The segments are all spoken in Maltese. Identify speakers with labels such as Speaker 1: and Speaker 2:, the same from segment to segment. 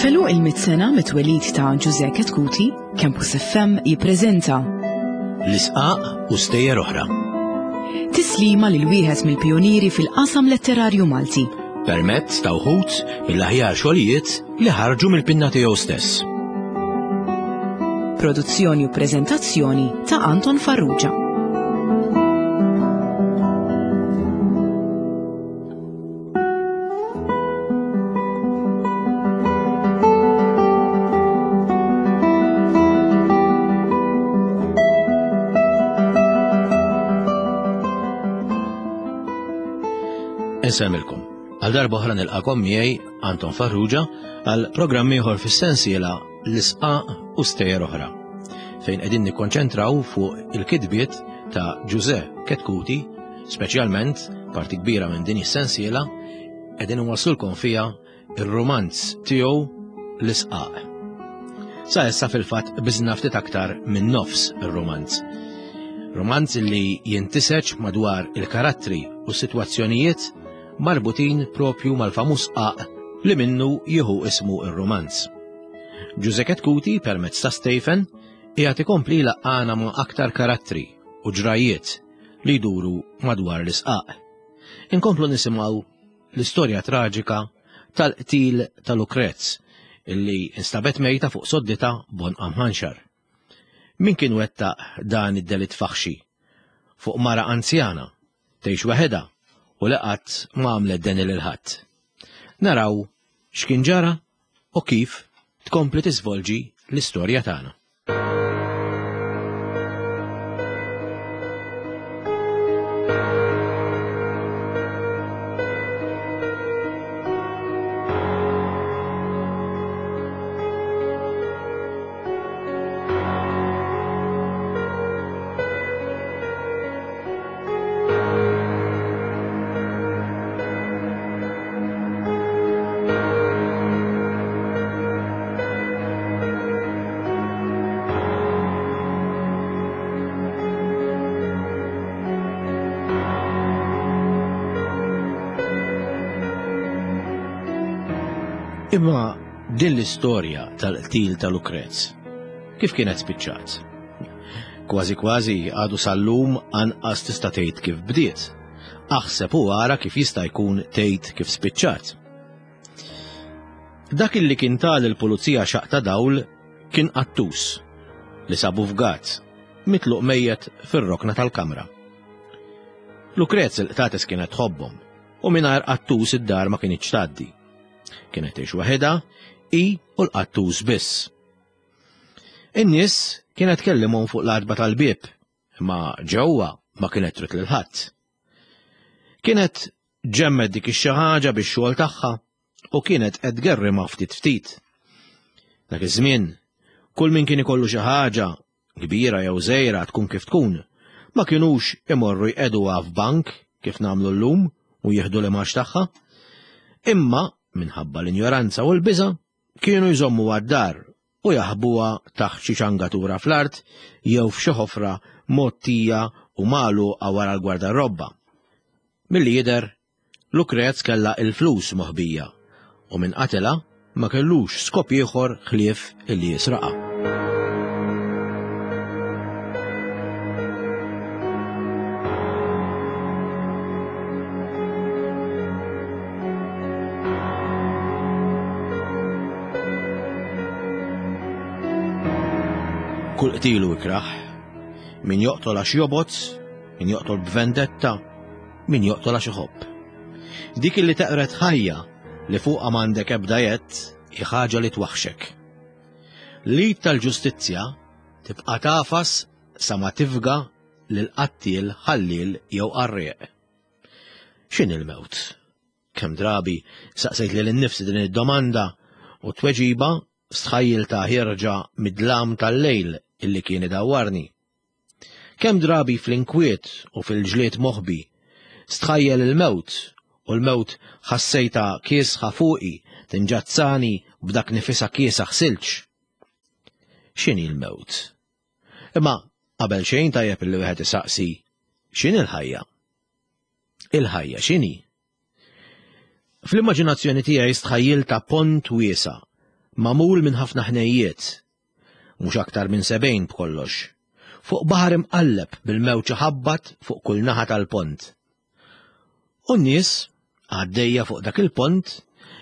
Speaker 1: F'għeluq il-mitt sena mit-twelid ta' Ġużè Chetcuti, Campus FM jippreżenta
Speaker 2: L-Isqaq u Stejjer Oħra.
Speaker 1: Tislima lil wieħed mill-pijunieri fil-qasam letterarju Malti.
Speaker 2: Permezz ta' wħud mill-aħjar xogħlijiet li ħarġu mill-pinna tiegħu stess.
Speaker 1: Produzzjoni u preżentazzjoni ta' Anton Farrugia.
Speaker 2: Insemmilkom. Għal darba oħra nilqakom miegħi Anton Farrugia għal programm ieħor fis-sensiela l-isqaq u stejjer oħra fejn qegħdin nikkonċentraw fuq il-kitbiet ta' Ġuże Ketkuti Speċjalment, parti kbira minn din is-sensiela qegħdin inwasslulkom fiha ir-rumanz tiegħu L-Isqaq. Sa issa fil-fatt biżna ftit aktar minn nofs ir-rumanz. Rumanz li jintiseġ madwar il-karattri u s-sitwazzjonijiet marbutin propju mal-famuż qaq li minnu jieħu ismu ir-rumanz. Ġuże Ketkuti permezz ta' Stephen qiegħed ikompli jlaqqagħna ma' aktar karattri u ġrajjiet li jduru madwar l-isqaq. Inkomplu nisimgħu l-istorja traġika tal-qtil ta' Lukrez illi instabet mejta fuq soddita b'għonqha mħanxar. Min kien wettaq dan id-delitt faħxi fuq mara anzjana tgħix waħedha u li qatt ma għamlet deni lil ħadd. Naraw x'kien ġara u kif tkompli tiżvolġi l-istorja tagħna. Imma din l-istorja tal-qtil ta' Lukrez, kif kienet spiċċat? Kważi kważi għadu sal-lum anqas tista' tgħid kif bdiet. Aħseb u ara kif jista' jkun tgħid kif spiċċat. Dak illi kien ta lill-pulizija xaqq ta' dawl kien qattus li sabu fgat, mitluq mejjet fir-rokna tal-kamra. Lukrez il-qtates kienet tħobbhom u mingħajr qattus id-dar ma kinitx tgħaddi. Kienet tgħix waħedha, hi u l-qattus biss. In-nies kienet tkellimhom fuq l-għatba tal-bieb, imma ġewwa ma kienet trid lil ħadd. Kienet ġemmet dik ix-xi ħaġa bix-xogħol tagħha u kienet qed tgerrimha ftit ftit. Dak iż-żmien, kull min kien ikollu xi ħaġa, kbira jew żgħira tkun kif tkun, ma kinux imorru jqegħduha f'bank kif nagħmlu llum u jieħdu l-imgħax tagħha. Imma, minħabba l-injoranza u l-biża', kienu jżommuha d-dar u jaħbuha taħt xi ċangatura fl-art jew f'xi ħofra mgħottija u magħluqa wara l-gwardarrobba. Milli jidher, Lukrez kellha l-flus moħbija u min qatilha ma kellux skop ieħor ħlief illi jisraqha. Kull qtil hu ikrah. Min joqtol għax jobgħod, min joqtol b'vendetta, min joqtol għax iħobb. Dik li teqred ħajja li fuqha m'għandek ebda jedd hi ħaġa li twaħxek. L-id tal-ġustizzja tibqa' tagħfas sa ma tifga lil qattiel, ħalliel jew qarrieq. X'inhi l-mewt? Kemm drabi saqsejt lili nnifsi din id-domanda u t-tweġiba stħajjiltha ħierġa mid-dlam tal-lejl illi kien idawwarni. Kemm drabi fl-inkwiet u fil-ġlied moħbi stħajjel il-mewt u l-mewt ħassejtha kiesħa fuqi tinġazzani b'dak nifisha kiesaħ silġ. X'inhi l-mewt? Imma qabel xejn tajjeb illi wieħed isaqsi x'inhi l-ħajja? Il-ħajja x'inhi? Fl-immaġinazzjoni tiegħi stħajjiltha pont wiesa' magħmul minn ħafna ħnejjiet, mhux aktar minn 70 b'kollox, fuq baħar imqalleb bil-mewġ iħabbat fuq kull naħa tal-pont. U n-nies, għaddejja fuq dak il-pont,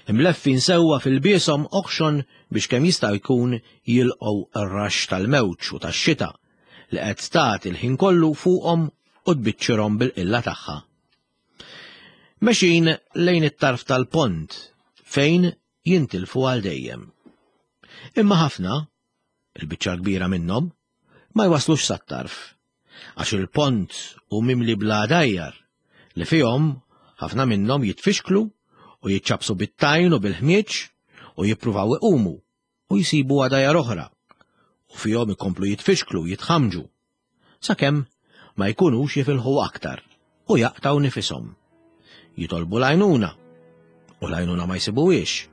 Speaker 2: imleffin sewwa f'ilbieshom oħxon biex kemm jista' jkun jilqgħu r-raxx tal-mewġ u tax-xita li qed tagħti l-ħin kollu fuqhom u tbiċċirhom bil-qilla tagħha. Mexin lejn it-tarf tal-pont fejn jintilfu għal dejjem. Imma ħafna, il-biċċa kbira minnhom, ma jwaslux sat-tarf, għax il-pont hu mimli bl-għadajjar li fihom ħafna minnhom jitfixklu u jiċċappsu bit-tajn u bil-ħmieġ u jippruvaw iqumu u jsibu għadajjar oħra u fihom ikomplu jitfixklu u jitħammġu sakemm ma jkunux jifilħu aktar u jaqtgħu nifishom. Jitolbu l-għajnuna u l-għajnuna ma jsibuhiex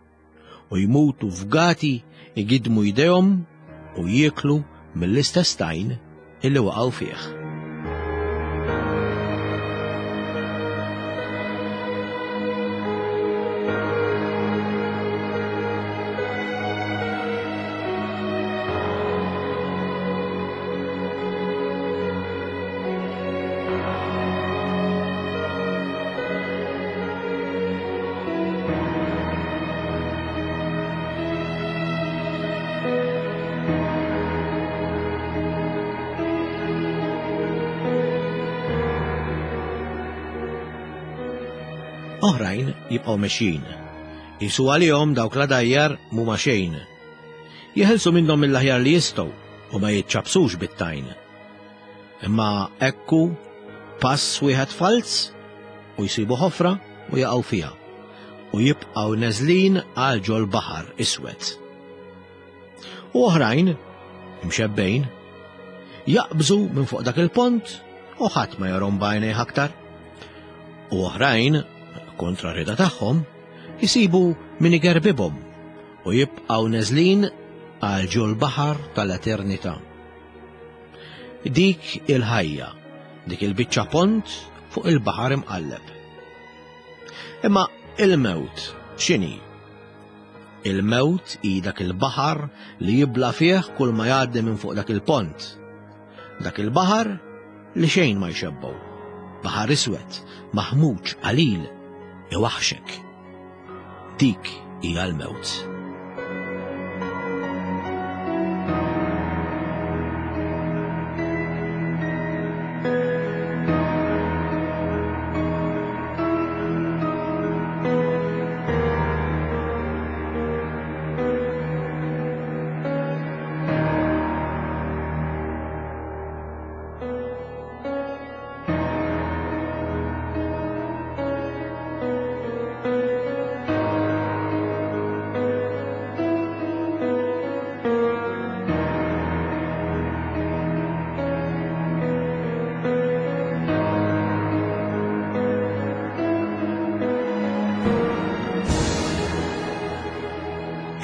Speaker 2: u jmutu fgati igidmu jdejhom u jieklu mill-istess tajn illi waqgħu fih. Oħrajn jibqgħu mexjin. Qisu għalihom dawk l-għadajjar m'huma xejn. Jeħilsu minnhom mill-aħjar li jistgħu u ma jiċċappsux bit-tajn. Imma ekku pass wieħed falz u jsibu ħofra u jaqgħu fiha u jibqgħu neżlin għal ġol-baħar iswed. U oħrajn, imxebbejn, jaqbżu minn fuq dak il-pont u ħadd ma jarhom b'għajnejh aktar. U oħrajn, kontra rida tagħhom, jisibu min igerbibhom u jibqgħu neżlin għal ġol-baħar tal-eternità. Dik il-ħajja, dik il-biċċa pont fuq il-baħar imqalleb. Imma il-mewt x'inhi? Il-mewt hi dak il-baħar li jibla' fih kull ma jgħaddi minn fuq dak il-pont. Dak il-baħar li xejn ma jxebbgħu. Baħar iswed, maħmuġ, qalil, iwaħxek. Dik hija l-mewt.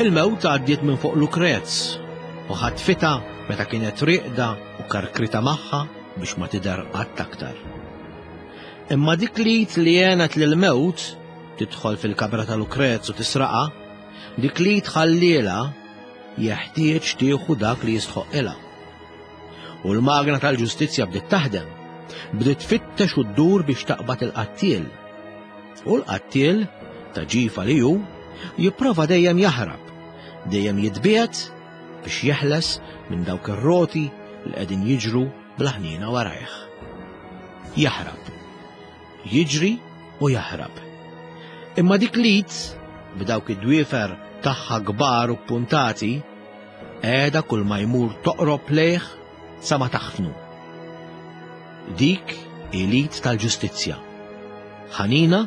Speaker 2: Il-mewt għaddiet minn fuq Lukrez u ħatfitha meta kienet rieqda u karkrita magħha biex ma tidher qatt aktar. Imma dik l-id li għenet lill-mewt tidħol fil-kamra ta' Lukrez u tisraqha, dik l-id ħalliela jeħtieġ tieħu dak li jistħoqqilha. U l-magna tal-ġustizzja bdiet taħdem, bdiet tfittex u ddur biex taqbad il-qattiel. U l-qattiel, ta' ġifa li hu, jipprova dejjem jaħrab, dejjem jitbiegħed biex jeħles minn dawk ir-roti li qegħdin jiġru bla ħniena warajh. Jaħrab. Jiġri u jaħrab. Imma dik l-id, b'dawk id-dwiefer tagħha kbar u ppuntati, qiegħda kull ma jmur toqrob lejh sa ma taħfnu. Dik hi l-id tal-ġustizzja, ħanina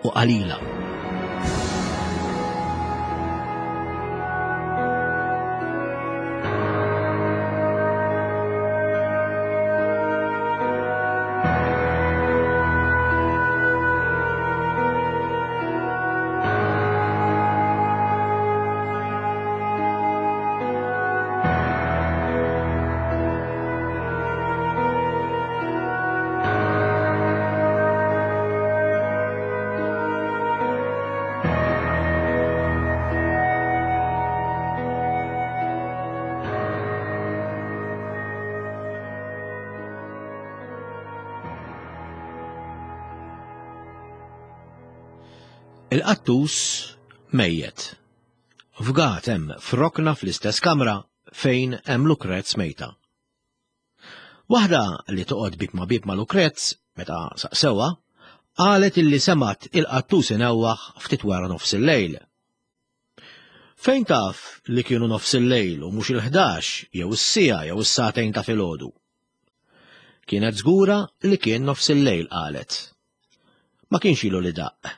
Speaker 2: u qalila. Il-qattus mejjet. Fgat hemm f'rokna fl-istess kamra fejn hemm Lukrez mejta. Waħda li toqgħod bib ma' bib ma' Lukrez, meta saqsewha, qalet illi semgħet il-qattus inewwaħ ftit wara nofs il-lejl. Fejn taf li kienu nofs il-lejl u mhux il-ħdax jew is-siegħa jew is-sagħtejn ta' filgħodu? Kienet żgura li kien nofs il-lejl qalet. Ma kienx ilu li daqq,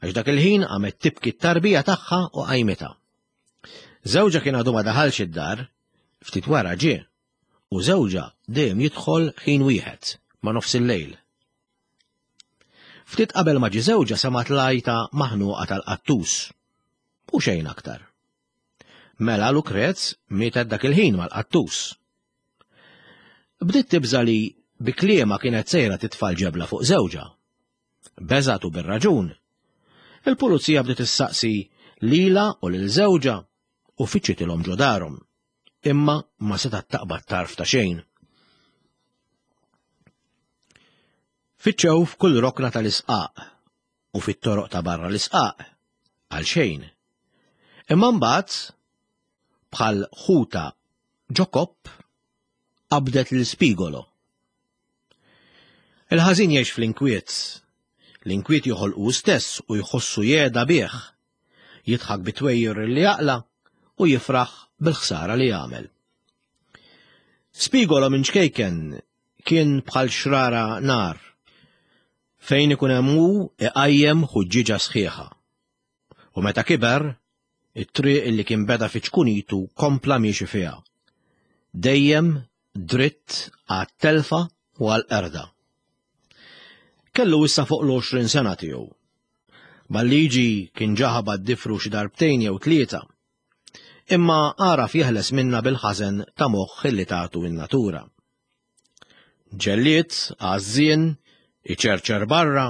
Speaker 2: għax dak il-ħin qamet tibki t-tarbija tagħha u qajmitha. Żewġha kien għadu ma daħalx id-dar, ftit wara ġie, u żewġha dejjem jidħol ħin wieħed, ma' nofs il-lejl. Ftit qabel ma ġie żewġha semgħet l-għajta maħnuqa tal-qattus, u xejn aktar. Mela Lukrez mietet dak il-ħin mal-qattus. Bdiet tibża' li bi kliemha kienet sejra titfa' l-ġebla fuq żewġha. Beżgħet u bir-raġun. Il-pulizija bdiet issaqsi lilha u lil żewġha u fittxitilhom ġo darhom. Imma ma setgħet taqbad tarf ta' xejn. Fittxew f'kull rokna tal-isqaq u fit-toroq ta' barra l-isqaq għal xejn. Imma mbagħad bħal ħuta ġo kopp qabdet lil Spigolo. Il-ħażin jgħix fl-inkwiet. L-inkwiet joħolqu stess u jħossu jeda bih. Jidħak bit-twejjir li jaqla u jifraħ bil-ħsara li jagħmel. Spigolo minn ċkejken kien bħal xrara nar. Fejn ikun hemm hu iqajjem ħuġġieġa sħiħa. U meta kiber, it-triq li kien beda fi ċkunitu kompla miexi fiha. Dejjem dritt għat-telfa u għall-qerda. Kellu issa fuq l-20 sena tiegħu. Mal-liġi kien ġa ħabat difru xi darbtejn jew tlieta. Imma għaraf jeħles minna bil-ħażen ta' moħħ illi tagħtu in-natura. Ġellied, għażżien, iċerċer barra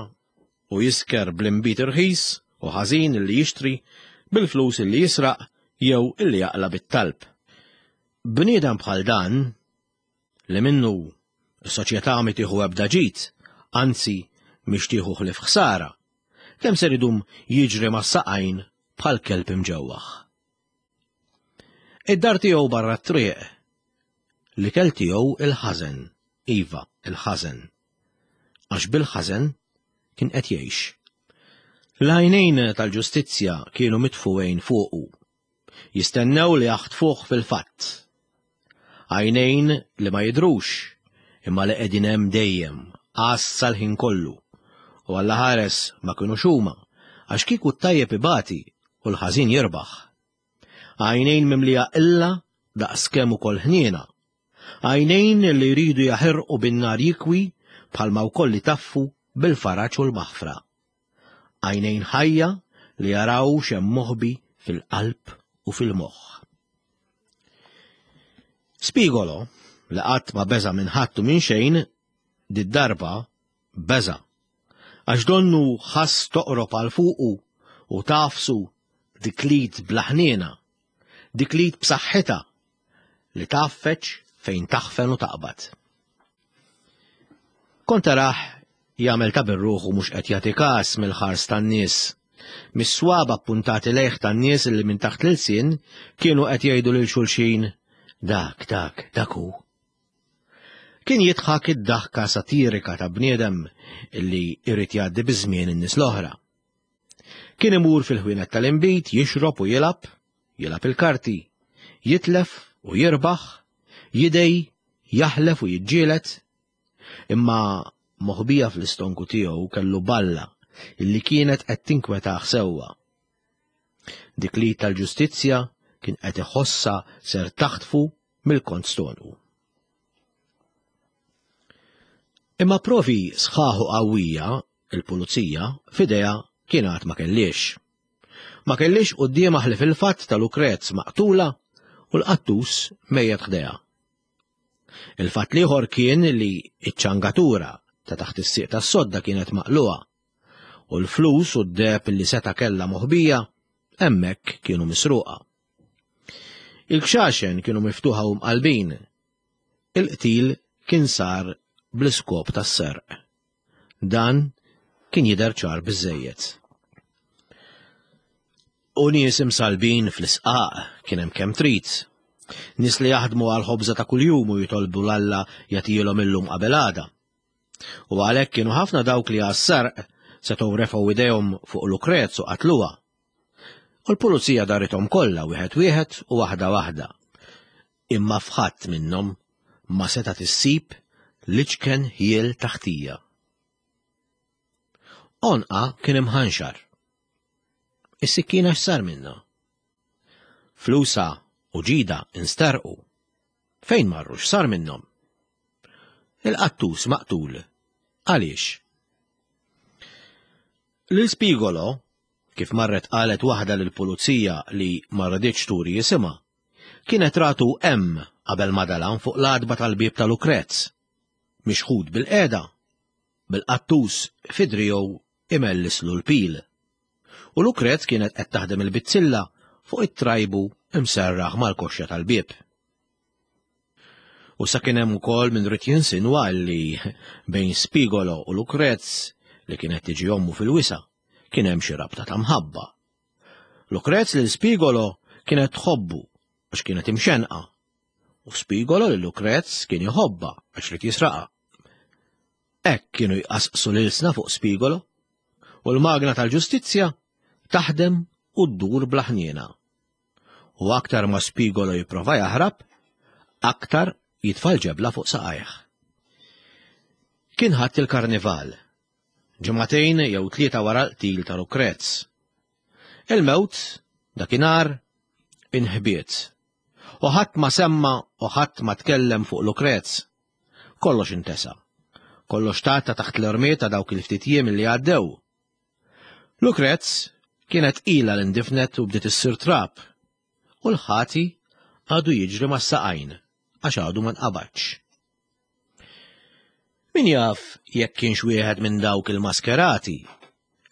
Speaker 2: u jisker bl-inbid irħis u ħażin illi jixtri bil-flus illi jisraq jew illi jaqla' bit-talb. Bniedem bħal dan, li minnu s-soċjetà mi tieħu ebda ġid, anzi mhix tieħu ħlief ħsara, kemm ser idum jiġri mas-saqajn bħal kelb imġewwaħ. Id-dar tiegħu barra t-triq. L-ikel tiegħu il-ħażen, iva, il-ħażen. Għax bil-ħażen kien qed jgħix. L-għajnejn tal-ġustizzja kienu mitfuqin fuqu. Jistennew li jaħtfuh fil-fatt. Għajnejn li ma jidhrux, imma li qegħdin hemm dejjem, għassa l-ħin kollu. U Alla ħares ma kinux huma, għax kieku t-tajjeb ibati u l-ħażin jirbaħ. Għajnejn mimlija qilla daqskemm ukoll ħniena. Għajnejn li jridu jaħirqu bin-nar jikwi bħalma wkoll itaffu bil-faraġ u l-maħfra. Għajnejn ħajja li jaraw x'hemm moħbi fil-qalb u fil-moħħ. Spigolo, li qatt ma beża' minn ħadd u minn xejn, did-darba beża'. Għax donnu ħass toqrob għal fuqu u tagħfsu dik l-id bla ħniena, dik l-id b'saħħitha li tgħaffeġ fejn taħfen u taqbad. Kont tarah jagħmel ta' bir-ruħu mhux qed jagħti każ mill-ħars tan-nies, mis-swaba ppuntati lejh tan-nies li minn taħt l-ilsien kienu qed jgħidu lil xulxin dak, dak, dak hu. Kien jidħak id-daħka satirika ta' bniedem illi jrid jgħaddi biż-żmien in-nies l-oħra. Kien imur fil-ħwienet tal-inbid jixrob u jilgħab, jilgħab il-karti, jitlef u jirbaħ, jidej, jaħlef u jiġġieled. Imma moħbija fl-istonku tiegħu kellu balla illi kienet qed tinkwetah sewwa. Dik li tal-ġustizzja kien qed iħossha ser taħtfu mill-kont stonu. Imma provi sħaħ u qawwija il-pulizija f'idejha kien għad ma kellhiex. Ma kellhiex quddiemha ħlief il-fatt ta' Lukrez maqtula u l-qattus mejjet ħdejha. Il-fatt l-ieħor kien li ċ-ċangatura ta' taħt is-sieq tas-sodda kienet maqlugħa u l-flus u d-deheb li seta' kellha moħbija hemmhekk kienu misruqa. Il-kxaxen kienu miftuħa u mqallbin. Il-qtil kien sar bl-iskop tas-serq. Dan kien jidher ċar biżżejjed. U nies imsalbin fl-isqaq kien hemm kemm trid. Nies li jaħdmu għal ħobża ta' kuljum u jitolbu l-Alla jagħtihom illum qabel għada. U għalhekk kienu ħafna dawk li għas-serq setgħu refgħu idejhom fuq Lukrez u qatluha. U l-pulizija darithom kollha wieħed wieħed u waħda waħda. Imma f'ħadd minnhom ma setgħet issib l-iċken ħjiel ta' ħtija. Għonqha kien imħanxar. Is-sikkina x'sar minnha? Flusha u ġidha insterqu. Fejn marru x'sar minnhom? Il-qattus maqtul. Għaliex? Lil Spigolo, kif marret qalet waħda lill-pulizija li ma riditx turi jisimha, kienet ratu hemm qabel ma dalam fuq l-għatba tal-bieb ta' Lukrez, mixħut bil-qiegħda, bil-qattus fi driegħu imellislu l-pil. U Lukrez kienet qed taħdem il-bizzilla fuq it-trajbu mserraħ mal-koxxa tal-bieb. U sa kien hemm ukoll min ried jinsinwa li bejn Spigolo u Lukrez li kienet tiġi ommu fil-wisa' kien hemm xi rabta ta' mħabba. Lukrez lil Spigolo kienet tħobbu għax kienet imxenqa u Spigolo lil Lukrez kien iħobbha għax ried jisraqha. Hekk kienu jqasqsu l-ilsna fuq Spigolo u l-magna tal-ġustizzja taħdem u ddur bla ħniena. U aktar ma Spigolo jipprova jaħrab, aktar jitfa' l-ġebla fuq saqajh. Kien ħadd il-karnival, ġimagħtejn jew tlieta wara l-qtil ta' Lukrez. Il-mewt, dakinhar, inħbiet. U ħadd ma semma u ħadd ma tkellem fuq Lukrez. Kollox intesa. Kollox tgħatta taħt l-irmied ta' dawk il-ftit jiem li għaddew. Lukrez kienet ilha li ndifnet u bdiet issir trab, u l-ħati għadu jiġri mas-saqajn għax għadu ma nqabadx. Min jaf jekk kienx wieħed minn dawk il-maskerati,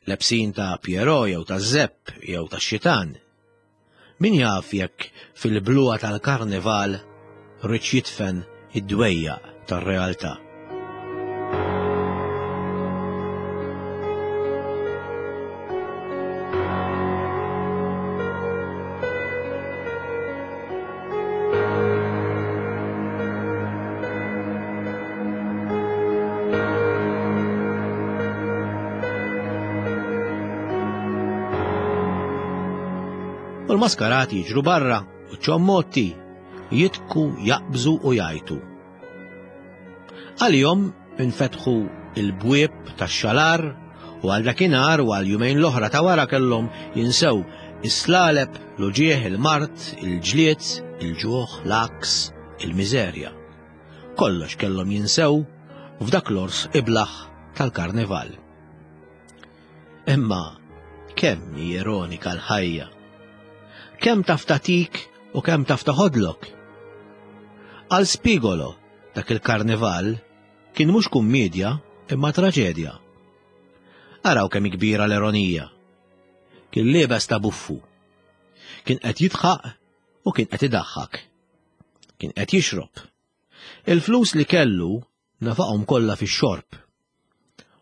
Speaker 2: lebsin ta' Pierrot jew ta' Zepp jew ta' Xitan. Min jaf jekk fil-bluha tal-karnival riedx jidfen id-dwejjaq tar-realtà. U l-maskarati jiġru barra u ċommotti jitku, jaqbżu u jgħajtu. Għalihom infetħu il-bwieb tax-xalar u għal dakinhar u għal jumejn l-oħra ta' wara kellhom jinsew is-slaleb, l-uġieħ, il-mard, il-ġlied, il-ġuħ, l-għaks, il-miżerja. Kollox kellhom jinsew f'dak l-ors iblaħ tal-karnival. Imma kemm hi ironika l-ħajja. Kemm taf tagħtik u kemm taf taħodlok. Għal Spigolo dak il-karnival kien mhux kummedja imma traġedja. Araw kemm kbira l-ironija. Kien liebes ta' buffu. Kien qed jidħaq u kien qed idaħħak. Kien qed jixrob. Il-flus li kellu nefaqhom kollha fix-xorb.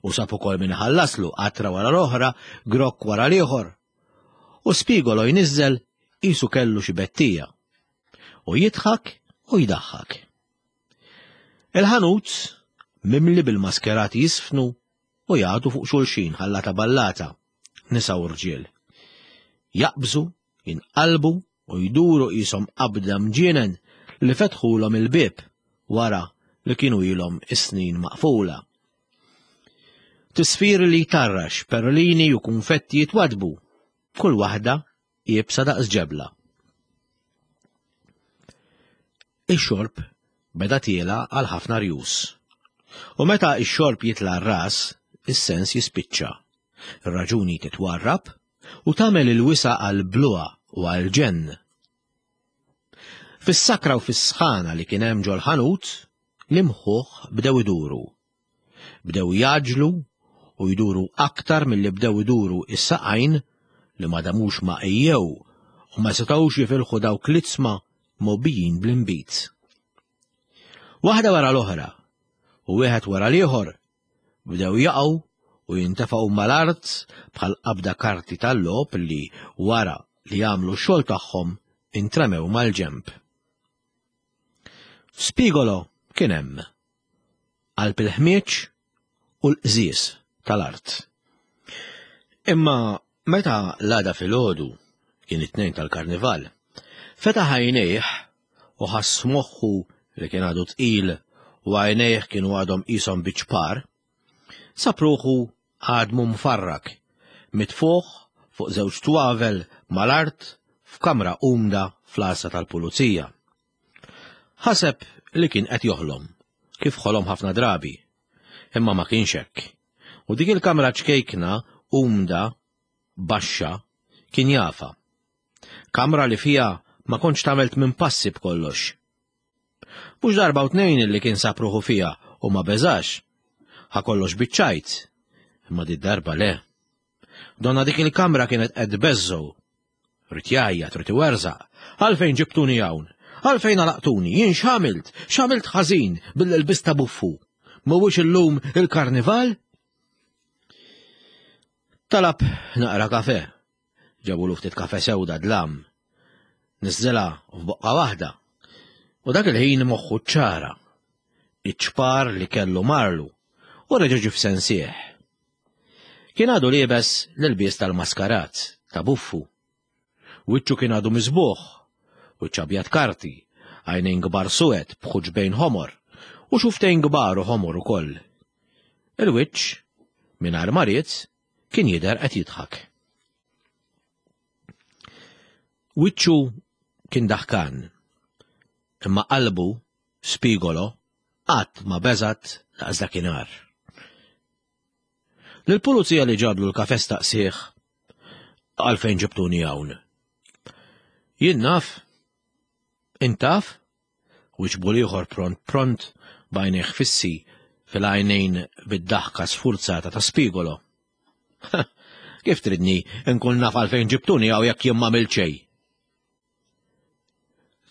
Speaker 2: U sab ukoll min iħallaslu qatra wara l-oħra, grokk wara l-ieħor. U Spigolo jniżżel qisu kellu xi bettija. U jidħak u jdaħħak. Il-ħanut mimli bil-maskerati jisfnu u jagħtu fuq xulxin ħallata ballata, nisa u rġiel. Jaqbżu, jinqalbu u jduru qishom qabda mġienen li fetħulhom il-bieb wara li kienu ilhom is-snin maqfula. Tisfir li jtarrax, perlini u kunfetti jitwadbu, kull waħda iebsa daqs ġebla. Ix-xorb beda tiela għal ħafna rjus. U meta ix-xorb jitla' r-ras, is-sens jispiċċa. Ir-raġuni titwarrab u tagħmel il-wisa' għall-bluha u għall-ġenn. Fis-sakra u fis-sħana li kien hemm ġol-ħanut, l-imħuħ bdew iduru. Bdew jgħaġġlu u jduru aktar milli bdew iduru s-saqajn li ma damux ma għejjew u ma setgħux jifilħu dawk l-iġsma mgħobbijin bl-inbid. Waħda wara l-oħra u wieħed wara l-ieħor Bdew jaqgħu u jintefgħu mal-art bħal qabda karti tal-logħob li wara li jagħmlu x-xogħol tagħhom intremew mal-ġenb. Spigolo kien hemm, qalb il-ħmieġ u l-qżież tal-art. Imma meta l-għada filgħodu kien it-tnejn tal-karnival, fetaħ għajnejh u ħass moħħu li kien għadu tqil u għajnejh kienu għadhom qishom biċ-ċpar, sab ruħu għadmu mfarrak, mitfugħ fuq żewġ twavel mal-art f'kamra umda fl-għassa tal-pulizija. Ħaseb li kien qed joħlom, kif ħolom ħafna drabi. Imma ma kienx hekk. U dik il-kamra ċkejkna, umda, baxxa, kien jafha. Kamra li fiha ma kontx tagħmel minn passi b'kollox. Mhux darba u tnejn li kien sab ruħu fiha u ma beżax. Ħa kollox biċ-ċajt. Imma di darba le. Donna dik il-kamra kienet qed tbeżżgħu. Rid jgħajjat, rid iwerżaq. Għalfejn ġibtuni hawn? Għalfejn għalaqtuni? Jien x'għamilt? X'għamilt ħażin bil-ilbis ta' buffu? Mhuwiex illum il-karnival? Talab naqra kafe. Ġabulu ftit kafe sewda dlam. Niżżilha f'boqqa waħda. U dak il-ħin moħħu ċara. Iċ-ċpar li kellu marlu u reġa' ġie f'sensih. Kien għadu liebes l-ilbies tal-maskarat, ta' buffu. Wiċċu kien għadu miżbugħ, wiċċ abjad karti, għajnejn kbar suwed b'ħuġbejn ħomor, u xuftejn kbar u ħomor ukoll. Il-wiċċ, mingħajr ma ried, kien jidher qed jidħak. Wiċċu kien daħkan, imma qalbu, Spigolo, qatt ma beżgħet daqs dakinhar. Lill-pulizija li ġablu l-kafe staqsih għalfejn ġibtuni hawn. Jien naf, int taf? Wiġbu l-ieħor pront pront b'għajnejh fissi fil-għajnejn bid-daħka sfurzata ta' Spigolo. Kif tridni nkun naf għalfejn ġibtuni hawn jekk jien m'għamilt xejn?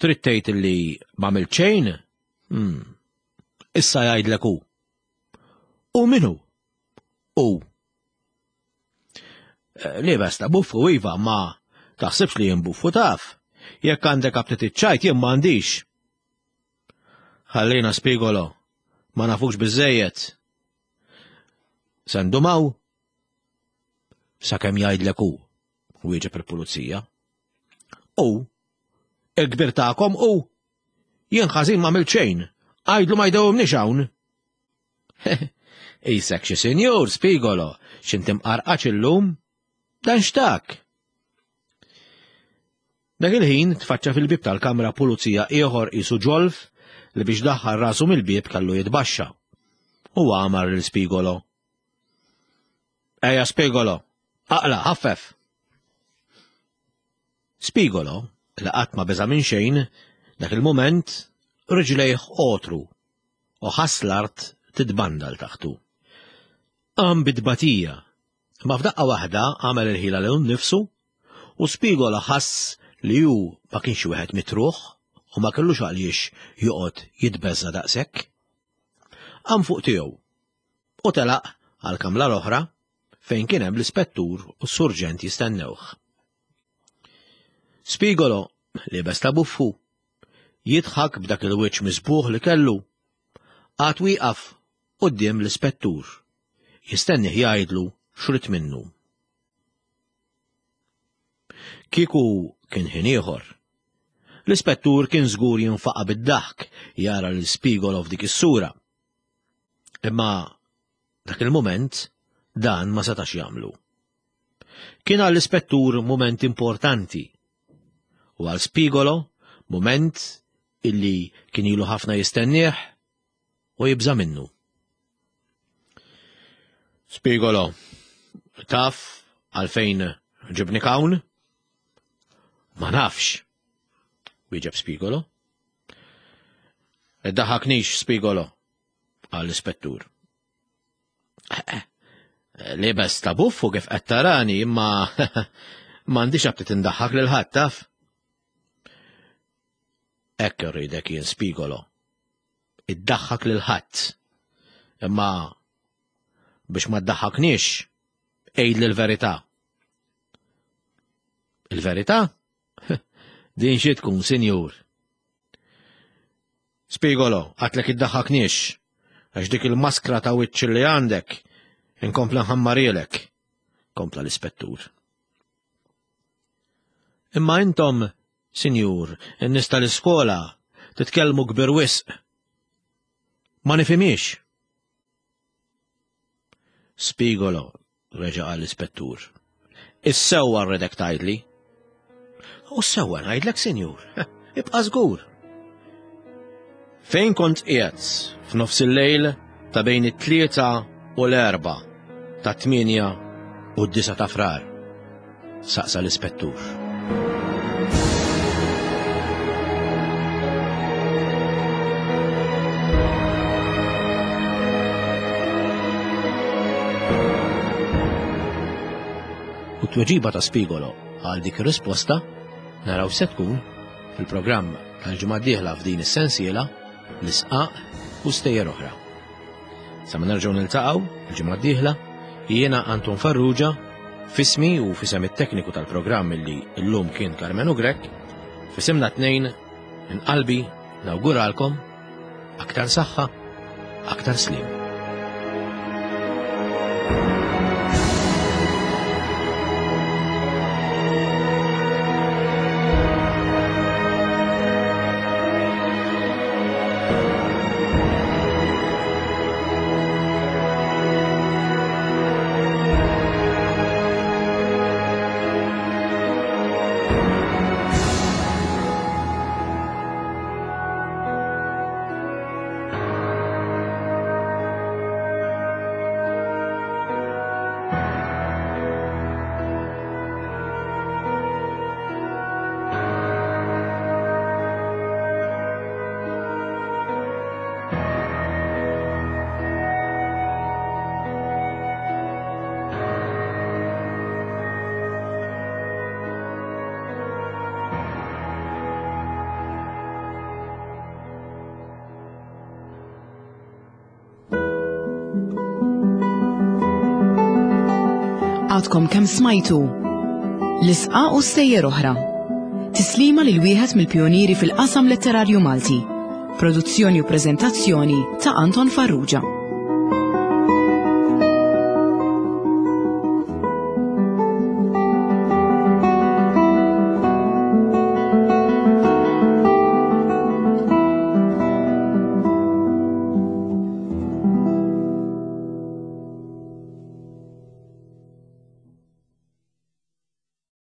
Speaker 2: Trid tgħid li m'għamilt xejn? Hmm. Issa jgħidlek hu. U min hu? U. Eh, Libes ta' buffu iva, ma taħsibx li jien buffu taf. Jekk għandek aptit iċ-ċajt jien m'għandix. Ħallina spigolo, ma nafux biżejjed. Sendumaw? Sakemm jgħidlek hu, wieġeb il-pulizija. U, il-kbir tagħkom hu, jien ħażin m'għamilt xejn, għidlu ma jdewwimniex hawn. Isek xi sinjur, Spigolo, x'inti mqarqaċ illum? Dan x'tak? Dak il-ħin tfaċċa fil-bieb tal-kamra pulizija ieħor qisu ġolf li biex daħħal rasu mill-bieb kellu jitbaxxa. U għamar lil Spigolo. Ejja Spigolo, aqla, ħaffef! Spigolo, li qatt ma beża' minn xejn, dak il-mument riġlejh għotru u ħass l-art titbandal taħtu. Qam bi tbatija, imma f'daqqa waħda għamel il-ħila lilu nnifsu u Spigola ħass li hu ma kienx wieħed mitruħ u ma kellux għaliex joqgħod jitbeżża' daqshekk. Qam fuq tiegħu u telaq għall-kamra l-oħra fejn kien hemm l-ispettur u s-surġent jistennewh. Spigolo, liebes ta' buffu, jidħak b'dak il-wiċċ miżbugħ li kellu. Qagħad wieqaf quddiem l-ispettur, jistennih jgħidlu x'ried minnu. Kieku kien ħin ieħor. L-ispettur kien żgur jinfaqa' bid-daħk jara lil Spigolo f'dik is-sura. Imma dak il-mument dan ma setax jagħmlu. Kien għall-ispettur mument importanti u għal Spigolo mument illi kien ilu ħafna jistennieh u jibża' minnu. Spigolo, taf għalfejn ġibnik hawn? Ma nafx, wieġeb Spigolo. Iddaħaknix, Spigolo, qal l-ispettur. Libes ta' buffu kif qed tarani, imma m'għandix aptit indaħħak lil ħadd taf. Hekk irridek jien Spigolo. Iddaħħak lil ħadd. Imma biex ma ddaħħakniex, għidli l-verità. Il-verità? Din xi tkun, sinjur? Spigolo, għatlek iddaħħakniex, għax dik il-maskra ta' wiċċ li għandek inkompla nħammarielek, kompla l-ispettur. Imma intom, sinjur, in-nies tal-iskola, titkellmu kbir wisq. Ma nifhimiex. Spigolo, reġa' qal l-ispettur. Is-sewwa rridek tgħidli. U s-sewwa ngħidlek, sinjur. Ibqa' żgur. Fejn kont qiegħed f'nofs il-lejl ta' bejn it-tlieta u l-erba' ta' tmienja u d-disa ta' frar? Saqsa l-ispettur. U t-tweġiba ta' Spigolo għal dik ir-risposta naraw se tkun fil-programm tal-ġimgħa d-dieħla f'din is-sensiela l-isqaq u stejjer oħra. Sa ma nerġgħu niltaqgħu il-ġimgħa d-dieħla, jiena Anton Farrugia, fismi u fisem it-tekniku tal-programm li llum kien Karmenu Grech, fisimna tnejn minn qalbi nawguralkom aktar saħħa, aktar slim.
Speaker 1: Għadkom kemm smajtu l-isqa u stejjer oħra. Tislima lil wieħed mill-pjonieri fil-qasam letterarju Malti. Produzzjoni u preżentazzjoni ta' Anton Farrugia.